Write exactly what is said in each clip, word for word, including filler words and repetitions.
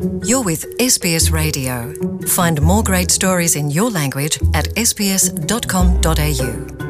You're with S B S Radio. Find more great stories in your language at s b s dot com dot a u.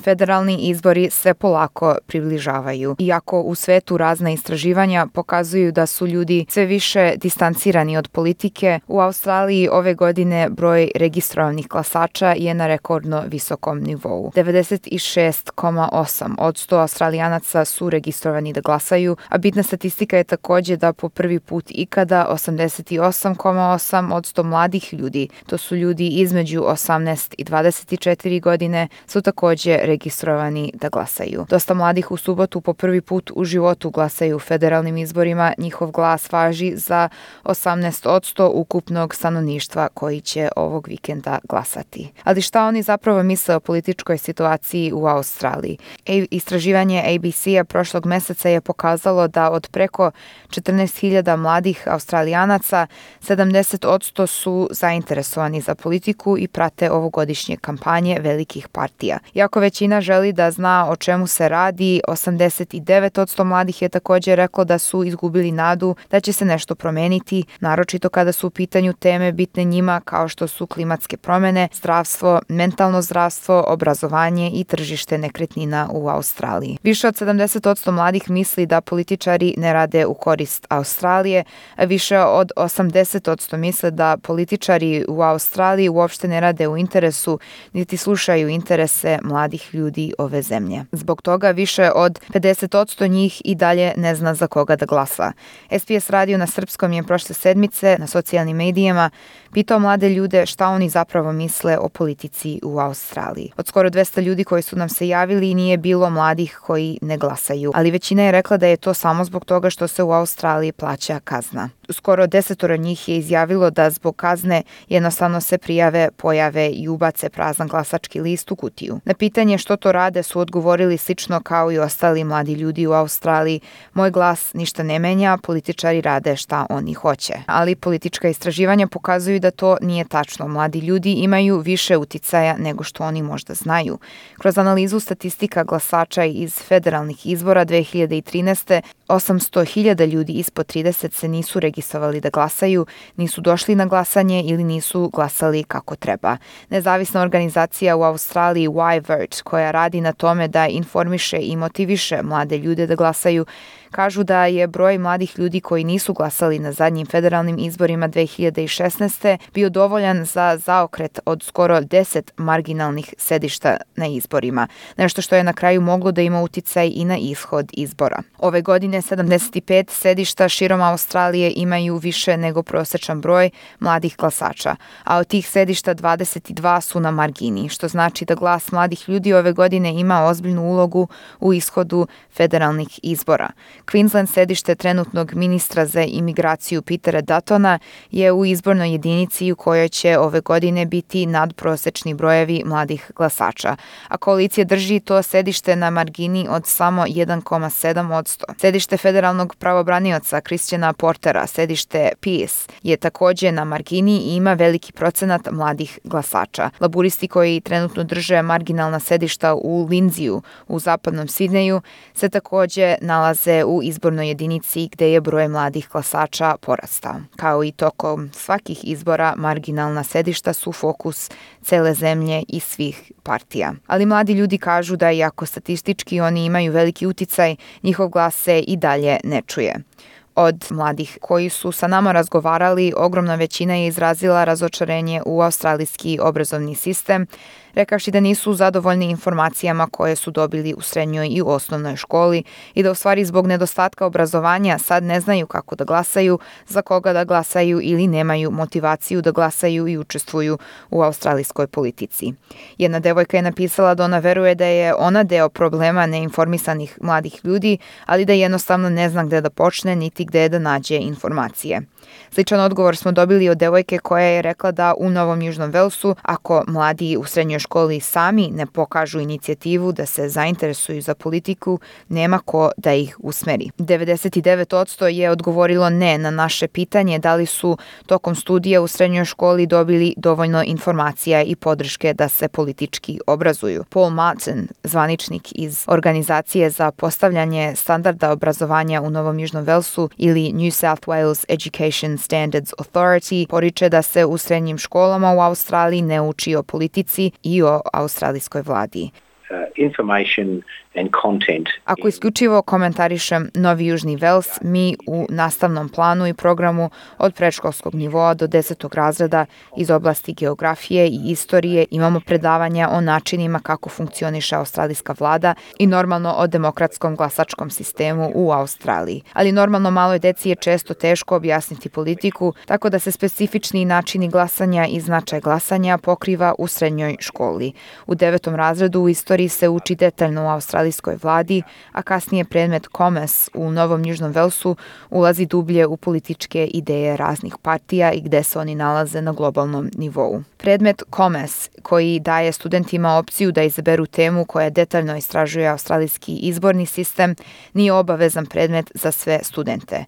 Federalni izbori se polako približavaju. Iako u svetu razna istraživanja pokazuju da su ljudi sve više distancirani od politike, u Australiji ove godine broj registrovanih glasača je na rekordno visokom nivou. devedeset šest zarez osam posto Australijanaca su registrovani da glasaju, a bitna statistika je takođe da po prvi put ikada osamdeset osam zarez osam posto mladih ljudi, to su ljudi između osamnaest i dvadeset četiri godine, su takođe registrovani da glasaju. Dosta mladih u subotu po prvi put u životu glasaju u federalnim izborima. Njihov glas važi za osamnaest posto ukupnog stanovništva koji će ovog vikenda glasati. Ali šta oni zapravo misle o političkoj situaciji u Australiji? E, istraživanje A B C-a prošlog meseca je pokazalo da od preko četrnaest hiljada mladih Australijanaca sedamdeset posto su zainteresovani za politiku i prate ovogodišnje kampanje velikih partija. Iako većina želi da zna o čemu se radi, osamdeset devet posto mladih je također reklo da su izgubili nadu da će se nešto promeniti, naročito kada su u pitanju teme bitne njima kao što su klimatske promene, zdravstvo, mentalno zdravstvo, obrazovanje i tržište nekretnina u Australiji. Više od sedamdeset posto mladih misli da političari ne rade u korist Australije, a više od osamdeset posto misle da političari u Australiji uopšte ne rade u interesu niti slušaju interese mladih ljudi ove zemlje. Zbog toga više od pedeset posto njih i dalje ne zna za koga da glasa. S B S radio na srpskom je prošle sedmice na socijalnim medijima pitao mlade ljude šta oni zapravo misle o politici u Australiji. Od skoro dvesta ljudi koji su nam se javili nije bilo mladih koji ne glasaju, ali većina je rekla da je to samo zbog toga što se u Australiji plaća kazna. Skoro desetoro njih je izjavilo da zbog kazne jednostavno se prijave, pojave i ubace prazan glasački list u kutiju. Na pitanje što to rade su odgovorili slično kao i ostali mladi ljudi u Australiji: moj glas ništa ne menja, političari rade šta oni hoće. Ali politička istraživanja pokazuju da to nije tačno. Mladi ljudi imaju više uticaja nego što oni možda znaju. Kroz analizu statistika glasača iz federalnih izbora dve hiljade trinaeste. osamsto hiljada ljudi ispod trideset se nisu registrovali da glasaju, nisu došli na glasanje ili nisu glasali kako treba. Nezavisna organizacija u Australiji Y-Vert, koja radi na tome da informiše i motiviše mlade ljude da glasaju, kažu da je broj mladih ljudi koji nisu glasali na zadnjim federalnim izborima dve hiljade šesnaeste. bio dovoljan za zaokret od skoro deset marginalnih sedišta na izborima, nešto što je na kraju moglo da ima uticaj i na ishod izbora. Ove godine sedamdeset pet sedišta širom Australije imaju više nego prosečan broj mladih glasača, a od tih sedišta dvadeset dva su na margini, što znači da glas mladih ljudi ove godine ima ozbiljnu ulogu u ishodu federalnih izbora. Queensland, sedište trenutnog ministra za imigraciju Petera Duttona, je u izbornoj jedinici u kojoj će ove godine biti nadprosečni brojevi mladih glasača, a koalicija drži to sedište na margini od samo jedan zarez sedam posto. Sedište federalnog pravobranioca Christiana Portera, sedište Pearce, je takođe na margini i ima veliki procenat mladih glasača. Laburisti koji trenutno drže marginalna sedišta u Lindseyu u zapadnom Sidneju se takođe nalaze u izbornoj jedinici gde je broj mladih glasača porastao. Kao i tokom svakih izbora, marginalna sedišta su fokus cele zemlje i svih partija. Ali mladi ljudi kažu da iako statistički oni imaju veliki uticaj, njihov glas se i dalje ne čuje. Od mladih koji su sa nama razgovarali, ogromna većina je izrazila razočarenje u australijski obrazovni sistem, rekavši da nisu zadovoljni informacijama koje su dobili u srednjoj i osnovnoj školi i da u stvari zbog nedostatka obrazovanja sad ne znaju kako da glasaju, za koga da glasaju ili nemaju motivaciju da glasaju i učestvuju u australijskoj politici. Jedna devojka je napisala da ona veruje da je ona deo problema neinformisanih mladih ljudi, ali da jednostavno ne zna gde da počne niti gde da nađe informacije. Sličan odgovor smo dobili od devojke koja je rekla da u Novom Južnom Velsu, ako mladi u srednjoj školi sami ne pokažu inicijativu da se zainteresuju za politiku, nema ko da ih usmeri. devedeset devet posto je odgovorilo ne na naše pitanje da li su tokom studija u srednjoj školi dobili dovoljno informacija i podrške da se politički obrazuju. Paul Martin, zvaničnik iz Organizacije za postavljanje standarda obrazovanja u Novom Južnom Velsu ili New South Wales Education Standards Authority, poriče da se u srednjim školama u Australiji ne uči o politici i o australijskoj vladi. Information and content. Ako isključivo komentarišem Novi Južni Vels, mi u nastavnom planu i programu od predškolskog nivoa do desetog razreda iz oblasti geografije i istorije imamo predavanja o načinima kako funkcioniše australijska vlada i normalno o demokratskom glasačkom sistemu u Australiji. Ali normalno maloj deci je često teško objasniti politiku, tako da se specifični načini glasanja i značaj glasanja pokriva u srednjoj školi. U devetom razredu u istoriji se uči detaljno u australijskoj vladi, a kasnije predmet Commerce u Novom Južnom Velsu ulazi dublje u političke ideje raznih partija i gde se oni nalaze na globalnom nivou. Predmet Commerce, koji daje studentima opciju da izaberu temu koja detaljno istražuje australijski izborni sistem, nije obavezan predmet za sve studente.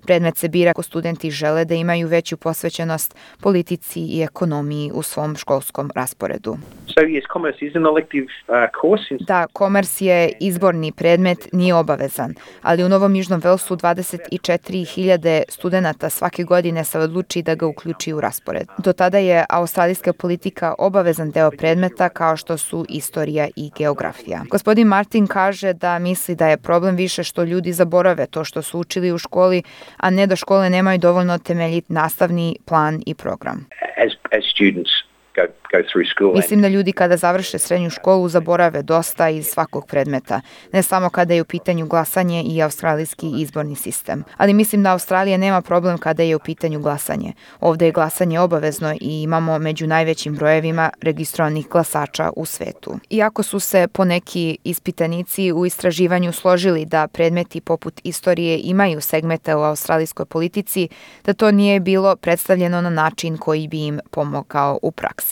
Predmet se bira ako studenti žele da imaju veću posvećenost politici i ekonomiji u svom školskom rasporedu. So yes, commerce is an elective uh, course. Da, commerce je izborni predmet, nije obavezan, ali u Novom Južnom Velsu dvadeset četiri hiljade studenta svake godine se odluči da ga uključi u raspored. Do tada je australijska politika obavezan deo predmeta kao što su istorija i geografija. Gospodin Martin kaže da misli da je problem više što ljudi zaborave to što su učili u školi, a ne da škole nemaju dovoljno temeljit nastavni plan i program. As, as students go, go through school. Mislim da ljudi kada završe srednju školu zaborave dosta iz svakog predmeta, ne samo kada je u pitanju glasanje i australijski izborni sistem. Ali mislim da Australija nema problem kada je u pitanju glasanje. Ovde je glasanje obavezno i imamo među najvećim brojevima registrovanih glasača u svetu. Iako su se poneki ispitanici u istraživanju složili da predmeti poput istorije imaju segmente u australijskoj politici, da to nije bilo predstavljeno na način koji bi im pomogao u praksi.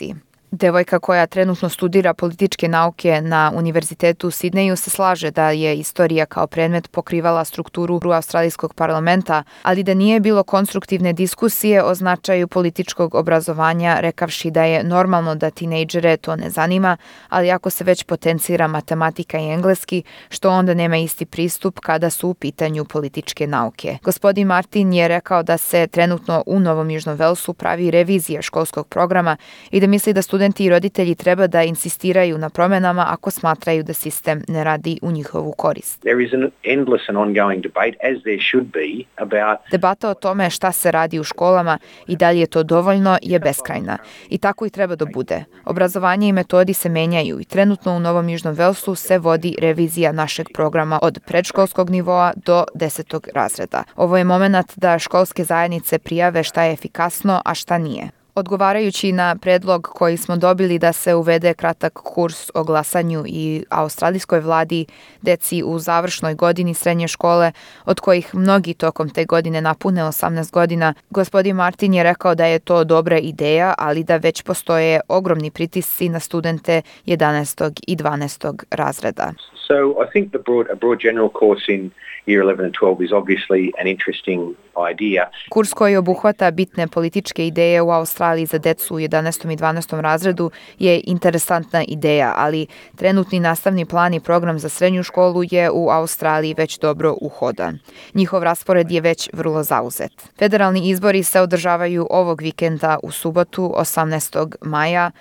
Devojka koja trenutno studira političke nauke na Univerzitetu u Sidneju se slaže da je istorija kao predmet pokrivala strukturu australijskog parlamenta, ali da nije bilo konstruktivne diskusije o značaju političkog obrazovanja, rekavši da je normalno da tinejdžere to ne zanima, ali ako se već potencira matematika i engleski, što onda nema isti pristup kada su u pitanju političke nauke. Gospodin Martin je rekao da se trenutno u Novom Južnom Velsu pravi revizija školskog programa i da misli da studenti Studenti i roditelji treba da insistiraju na promenama ako smatraju da sistem ne radi u njihovu korist. There is an endless and ongoing debate, as there should be, about... Debata o tome šta se radi u školama i da li je to dovoljno je beskrajna. I tako i treba da bude. Obrazovanje i metodi se menjaju i trenutno u Novom Južnom Velsu se vodi revizija našeg programa od predškolskog nivoa do desetog razreda. Ovo je moment da školske zajednice prijave šta je efikasno, a šta nije. Odgovarajući na predlog koji smo dobili da se uvede kratak kurs o glasanju i australijskoj vladi deci u završnoj godini srednje škole, od kojih mnogi tokom te godine napune osamnaest godina, gospodin Martin je rekao da je to dobra ideja, ali da već postoje ogromni pritisci na studente jedanaestog i dvanaestog razreda. So I think the broad, a broad general course in year eleven and twelve is obviously an interesting idea. Kurs koji obuhvata bitne političke ideje u Australiji za decu u jedanaestom i dvanaestom razredu je interesantna ideja, ali trenutni nastavni plan i program za srednju školu je u Australiji već dobro uhodan. Njihov raspored je već vrlo zauzet. Federalni izbori se održavaju ovog vikenda u subotu, osamnaestog maja.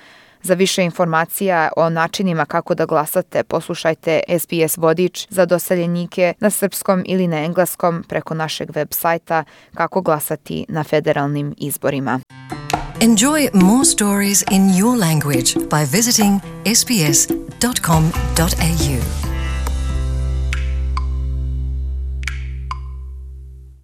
Za više informacija o načinima kako da glasate, poslušajte S B S vodič za doseljenike na srpskom ili na engleskom preko našeg web sajta Kako glasati na federalnim izborima. Enjoy more stories in your language by visiting s b s dot com dot a u.